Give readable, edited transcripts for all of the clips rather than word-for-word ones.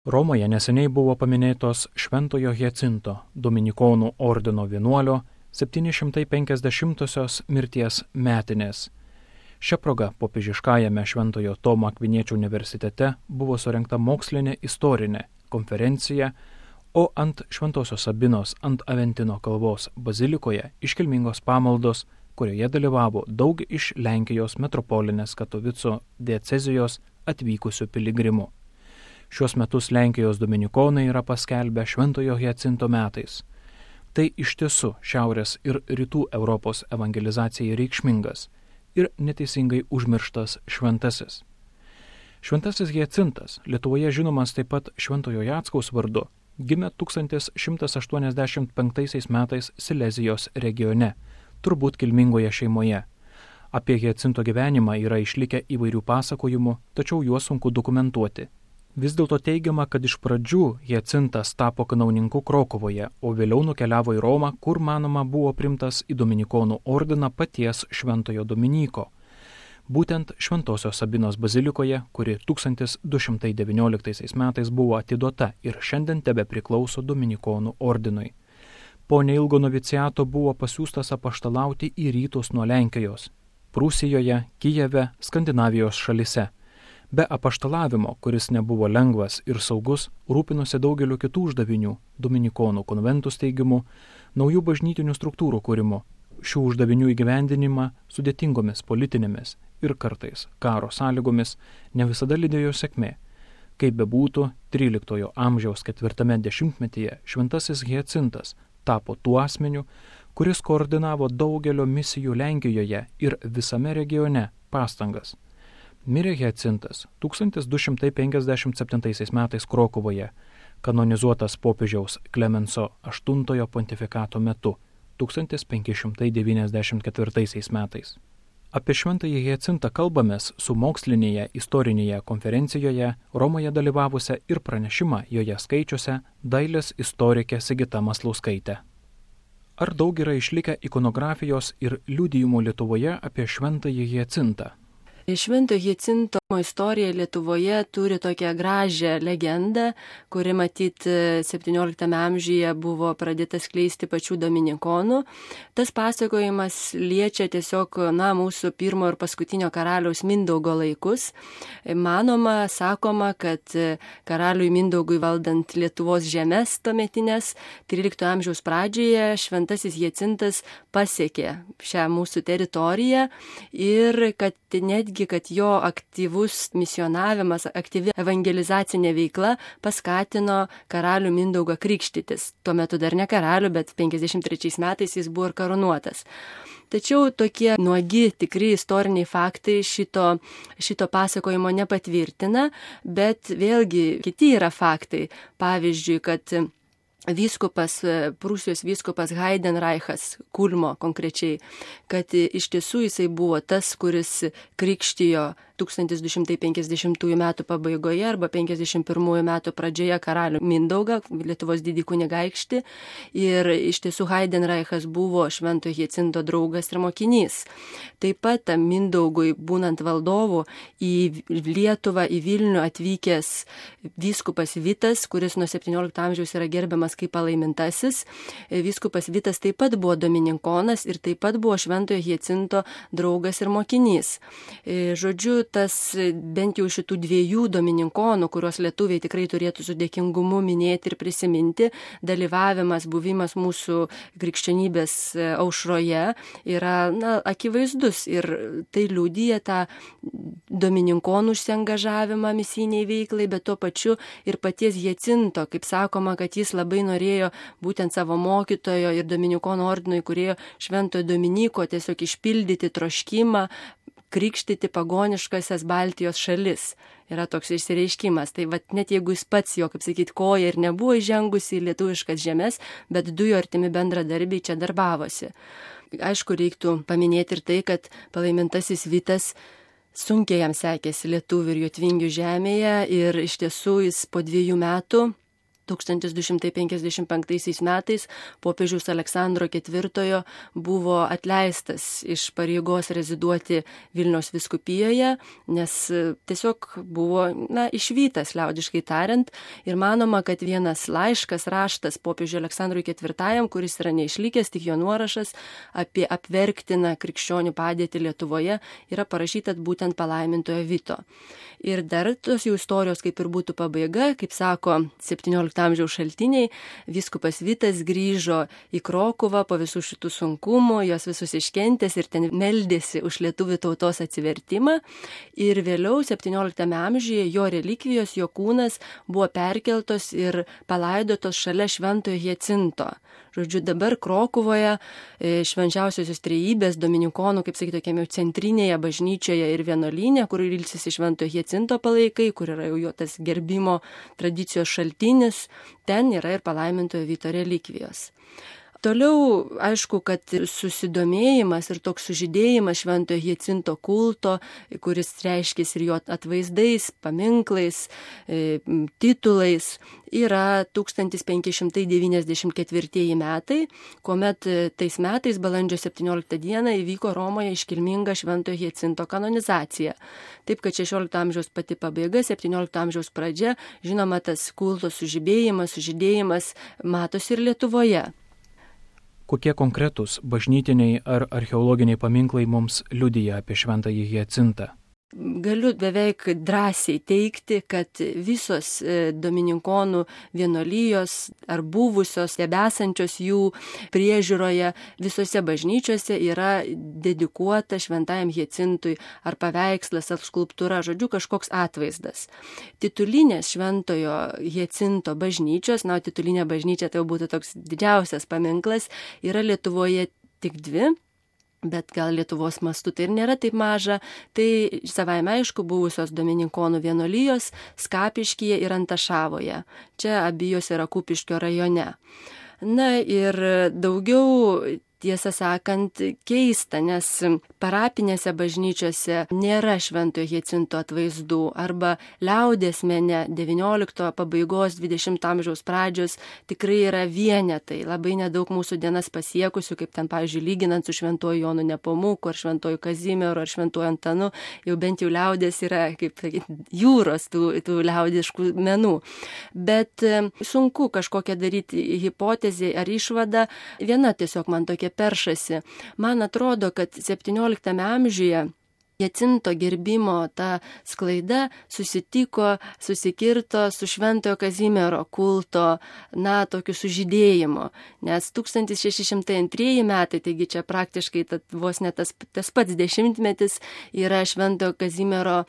Romoje neseniai buvo paminėtos Šventojo Hjacinto Dominikonų ordino vienuolio 750-osios mirties metinės. Šia proga popiežiškajame Šventojo Tomo Akviniečio universitete buvo surengta mokslinė istorinė konferencija, o ant Šventosios Sabinos ant Aventino kalvos bazilikoje iškilmingos pamaldos, kurioje dalyvavo daug iš Lenkijos metropolinės Katovicų diecezijos atvykusių piligrimų. Šiuos metus Lenkijos dominikonai yra paskelbę Šventojo Hjacinto metais. Tai iš tiesų Šiaurės ir Rytų Europos evangelizacijai reikšmingas ir neteisingai užmirštas šventasis. Šventasis Hjacintas, Lietuvoje žinomas taip pat Šventojo Jackaus vardu, gimė 1185 metais Silezijos regione, turbūt kilmingoje šeimoje. Apie Hjacinto gyvenimą yra išlikę įvairių pasakojimų, tačiau juos sunku dokumentuoti. Vis dėlto teigiama, kad iš pradžių Hjacintas tapo kanauninku Krokuvoje, o vėliau nukeliavo į Romą, kur manoma buvo primtas į Dominikonų ordiną paties Šventojo Dominyko. Būtent Šventosios Sabinos bazilikoje, kuri 1219 metais buvo atiduota ir šiandien tebe priklauso Dominikonų ordinui. Po neilgo noviciato buvo pasiųstas apaštalauti į rytus nuo Lenkijos, Prūsijoje, Kijeve, Skandinavijos šalise. Be apaštalavimo, kuris nebuvo lengvas ir saugus, rūpinosi daugeliu kitų uždavinių – Dominikonų konventų steigimu, naujų bažnytinių struktūrų kūrimu, šių uždavinių įgyvendinimą sudėtingomis politinėmis ir kartais karo sąlygomis ne visada lydėjo sėkmė. Kaip bebūtų, 13 amžiaus 4 dešimtmetyje šventasis Hjacintas tapo tuo asmeniu, kuris koordinavo daugelio misijų Lenkijoje ir visame regione pastangas. Mirė Hjacintas 1257 metais Krokuvoje, kanonizuotas popiežiaus Klemenso VIII pontifikato metu 1594 metais. Apie šventąjį Hjacintą kalbamės su mokslinėje istorinėje konferencijoje Romoje dalyvavusią ir pranešimą joje skaičiusią dailės istorikė Sigita Maslauskaitė. Ar daug yra išlikę ikonografijos ir liudijimų Lietuvoje apie šventąjį Hjacintą? Švento Hjacinto istorija Lietuvoje turi tokią gražią legendą, kuri matyt 17 amžiuje buvo pradėta skleisti pačių dominikonų. Tas pasakojimas liečia tiesiog mūsų pirmo ir paskutinio karaliaus Mindaugo laikus. Manoma, sakoma, kad karaliui Mindaugui valdant Lietuvos žemes tuometinės 13 amžiaus pradžioje šventasis Hjacintas pasiekė šią mūsų teritoriją ir kad netgi kad jo aktyvus misionavimas, aktyvi evangelizacinė veikla paskatino karalių Mindaugą krikštytis. Tuo metu dar ne karalių, bet 53 metais jis buvo ir karūnuotas. Tačiau tokie nuogi, tikri istoriniai faktai šito pasakojimo nepatvirtina, bet vėlgi kiti yra faktai. Pavyzdžiui, kad Prūsijos vyskupas Heidenreichas, Kulmo konkrečiai, kad iš tiesų jisai buvo tas, kuris krikštijo 1250 metų pabaigoje arba 51 metų pradžioje karalių Mindaugą, Lietuvos didį kunigaikštį. Ir iš tiesų Heidenreichas buvo Švento Hjacinto draugas ir mokinys. Taip pat Mindaugui, būnant valdovu, į Lietuvą, į Vilnių atvykęs vyskupas Vitas, kuris nuo 17 amžiaus yra gerbiamas kaip palaimintasis. Vyskupas Vitas taip pat buvo dominikonas ir taip pat buvo Šventojo Hjacinto draugas ir mokinys. Žodžiu, tas bent jau šitų dviejų dominikonų, kuriuos lietuviai tikrai turėtų su dėkingumu minėti ir prisiminti, dalyvavimas, buvimas mūsų krikščionybės aušroje yra akivaizdus ir tai liudija tą dominikonų užsiangažavimą misijiniai veiklai, bet tuo pačiu ir paties Hjacinto, kaip sakoma, kad jis labai norėjo būtent savo mokytojo ir dominikonų ordino įkūrėjo Šventojo Dominyko tiesiog išpildyti troškimą krikštyti pagoniškasias Baltijos šalis. Yra toks išsireiškimas. Tai net jeigu jis pats jo, kaip sakyt, koja ir nebuvo įžengusi į lietuviškas žemes, bet du jo artimi bendradarbiai čia darbavosi. Aišku, reiktų paminėti ir tai, kad palaimintasis Vitas sunkiai jam sekėsi lietuvių ir jotvingių žemėje ir iš tiesų jis po 2 metų 1255 metais popiežiaus Aleksandro IV buvo atleistas iš pareigos reziduoti Vilniaus vyskupijoje, nes tiesiog buvo, išvytas, liaudiškai tariant, ir manoma, kad vienas laiškas, raštas popiežiui Aleksandrui IV, kuris yra neišlikęs, tik jo nuorašas apie apverktiną krikščionių padėtį Lietuvoje, yra parašytas būtent palaimintojo Vito. Ir dar tos jų istorijos kaip ir būtų pabaiga, kaip sako 17 amžiaus šaltiniai, vyskupas Vitas grįžo į Krokuvą po visų šitų sunkumų, jos visus iškentęs ir ten meldėsi už lietuvių tautos atsivertimą. Ir vėliau 17 amžiuje jo relikvijos, jo kūnas buvo perkeltos ir palaidotos šalia Šventojo Hjacinto. Žodžiu, dabar Krokuvoje Švenčiausiosios Trejybės dominikonų, kaip sakyti, tokiame centrinėje bažnyčioje ir vienuolyne, kur ilsisi Šventojo Hjacinto palaikai, kur yra jau jo tas gerbimo tradicijos šaltinis, ten yra ir palaimintojo Vito relikvijos. Toliau, aišku, kad susidomėjimas ir toks sužydėjimas Šventojo Hjacinto kulto, kuris reiškės ir jo atvaizdais, paminklais, titulais, yra 1594 metai, kuomet tais metais balandžio 17 dieną įvyko Romoje iškilminga Šventojo Hjacinto kanonizacija. Taip, kad 16 amžiaus pati pabaiga, 17 amžiaus pradžia, žinoma, tas kulto sužydėjimas matosi ir Lietuvoje. Kokie konkretūs bažnytiniai ar archeologiniai paminklai mums liudija apie Šventąjį Hjacintą? Galiu beveik drąsiai teigti, kad visos domininkonų vienuolijos ar buvusios, tebesančios jų priežiūroje, visose bažnyčiose yra dedikuota Šventajam Hjacintui ar paveikslas, ar skulptūra, žodžiu, kažkoks atvaizdas. Titulinės Šventojo Hjacinto bažnyčios, titulinė bažnyčia tai būtų toks didžiausias paminklas, yra Lietuvoje tik 2. Bet gal Lietuvos mastu tai ir nėra taip maža, tai savaime aišku buvusios domininkonų vienuolijos Skapiškyje ir Antašavoje. Čia abijos yra Kupiškio rajone. Ir daugiau, tiesą sakant, keista, nes parapinėse bažnyčiose nėra Šventojo Hjacinto atvaizdų arba liaudies mene 19 pabaigos 20 amžiaus pradžios tikrai yra vienetai, labai nedaug mūsų dienas pasiekusių, kaip ten, pavyzdžiui, lyginant su Šventuoju Jonu Nepomuku ar Šventuoju Kazimieru ar Šventuoju Antanu, jau bent jau liaudies yra, kaip jūros tų liaudiškų menų. Bet sunku kažkokią daryti hipotezę ar išvadą, viena tiesiog man tokia peršasi. Man atrodo, kad 17 amžiuje Hjacinto gerbimo ta sklaida susikirto su Šventojo Kazimiero kulto, tokiu sužydėjimu. Nes 1602 metai, taigi čia praktiškai vos ne tas pats dešimtmetis, yra Šventojo Kazimiero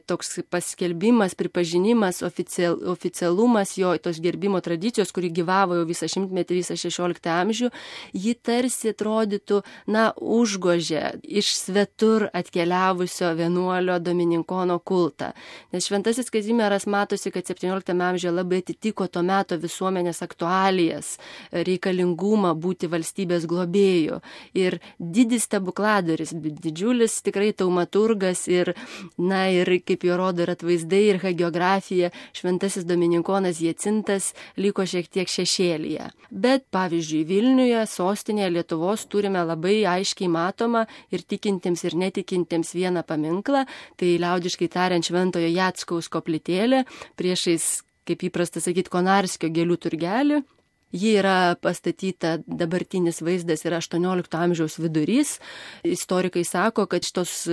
toks paskelbimas, pripažinimas, oficialumas jo tos gerbimo tradicijos, kuri gyvavo jau visą šimtmetį, visą 16 amžių, ji tarsi atrodytų, užgožė iš svetur atkeliavo vienuolio domininkono kultą. Nes Šventasis Kazimieras matosi, kad 17 amžiuje labai atitiko to meto visuomenės aktualijas, reikalingumą būti valstybės globėjų. Ir didis stebukladaris, didžiulis tikrai taumaturgas ir kaip jo rodo ir atvaizdai, ir hagiografija, Šventasis domininkonas Hjacintas liko šiek tiek šešėlyje. Bet, pavyzdžiui, Vilniuje, sostinėje Lietuvos turime labai aiškiai matomą ir tikintiems ir netikintiems vieną paminklą, tai liaudiškai tariant Šventojo Jackaus koplytėlė, priešais, kaip įprasta sakyti, Konarskio gėlių turgelį. Ji yra pastatyta, dabartinis vaizdas yra 18 amžiaus vidurys. Istorikai sako, kad šitos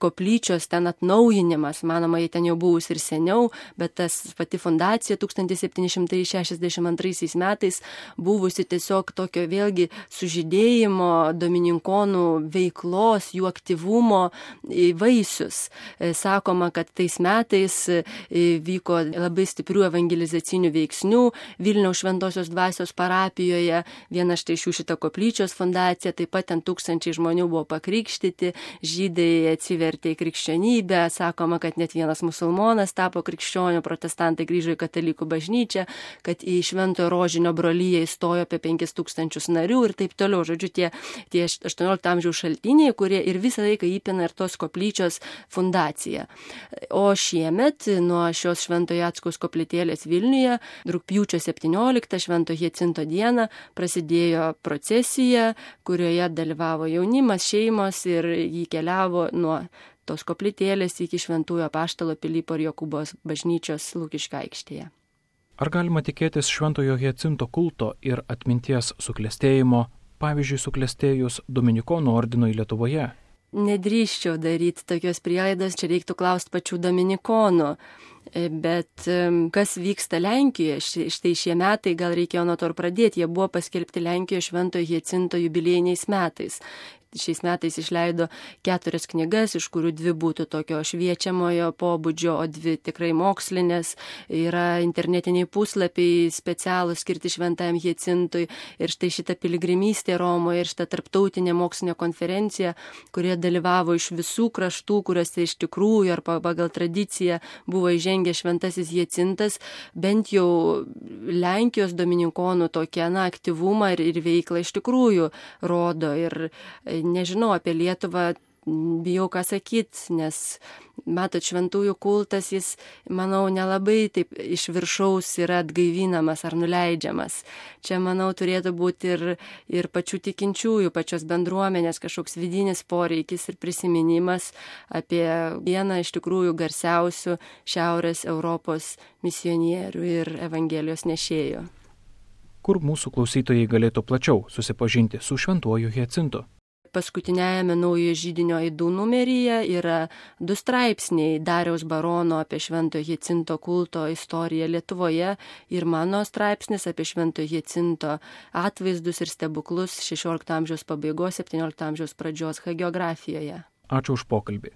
koplyčios ten atnaujinimas, manoma, jie ten jau buvus ir seniau, bet tas pati fundacija 1762 metais buvusi tiesiog tokio vėlgi sužydėjimo, domininkonų veiklos, jų aktyvumo vaisius. Sakoma, kad tais metais vyko labai stiprių evangelizacinių veiksnių, Vilniaus Šventosios dvasios dvasios parapijoje, viena štai šių šita koplyčios fundacija, taip pat ten tūkstančiai žmonių buvo pakrikštyti, žydai atsivertė į krikščionybę, sakoma, kad net vienas musulmonas tapo krikščioniu, protestantai grįžo į katalikų bažnyčią, kad į Šventojo Rožinio broliją įstojo apie 5000 narių ir taip toliau. Žodžiu, tie 18 amžiaus šaltiniai, kurie ir visą laiką įpina ir tos koplyčios fundaciją. O šiemet nuo šios Šventojo Jackaus koplytėlės Vilniuje rugpjūčio 17 Švento Hjacinto dieną prasidėjo procesija, kurioje dalyvavo jaunimas, šeimos ir jį keliavo nuo tos koplytėlės iki Šventųjų Apaštalo Pilypo ir Jokūbo bažnyčios Lukiškių aikštėje. Ar galima tikėtis Šventojo Hjacinto kulto ir atminties suklestėjimo, pavyzdžiui, suklestėjus Dominikonų ordinui Lietuvoje? Nedrįsčiau daryti tokios prielaidos, čia reiktų klausti pačių dominikonų. Bet kas vyksta Lenkijoje, štai šie metai, gal reikėjo nuo to ir pradėti, jie buvo paskelbti Lenkijoje Šventojo Hjacinto jubiliejiniais metais. Šiais metais išleido 4 knygas, iš kurių 2 būtų tokio šviečiamojo pobūdžio, o 2 tikrai mokslinės. Yra internetiniai puslapiai specialūs skirti Šventajam Hjacintui. Ir štai šita piligrimystė Romoje ir šita tarptautinė mokslinė konferencija, kurie dalyvavo iš visų kraštų, kuriuose iš tikrųjų ar pagal tradiciją buvo įžengęs Šventasis Hjacintas, bent jau Lenkijos dominikonų tokią aktyvumą ir veiklą iš tikrųjų rodo. Ir nežinau apie Lietuvą, bijau ką sakyti, nes, matot, šventųjų kultas, jis, manau, nelabai taip iš viršaus yra atgaivinamas ar nuleidžiamas. Čia, manau, turėtų būti ir pačių tikinčiųjų, pačios bendruomenės kažkoks vidinis poreikis ir prisiminimas apie vieną iš tikrųjų garsiausių Šiaurės Europos misionierių ir Evangelijos nešėjų. Kur mūsų klausytojai galėtų plačiau susipažinti su Šventuoju Hjacintu? Paskutiniajame Naujojo židinio aidų numeryje yra 2 straipsniai Dariaus Barono apie Šventojo Hjacinto kulto istoriją Lietuvoje ir mano straipsnis apie Šventojo Hjacinto atvaizdus ir stebuklus 16 amžiaus pabaigos, 17 amžiaus pradžios hagiografijoje. Ačiū už pokalbį.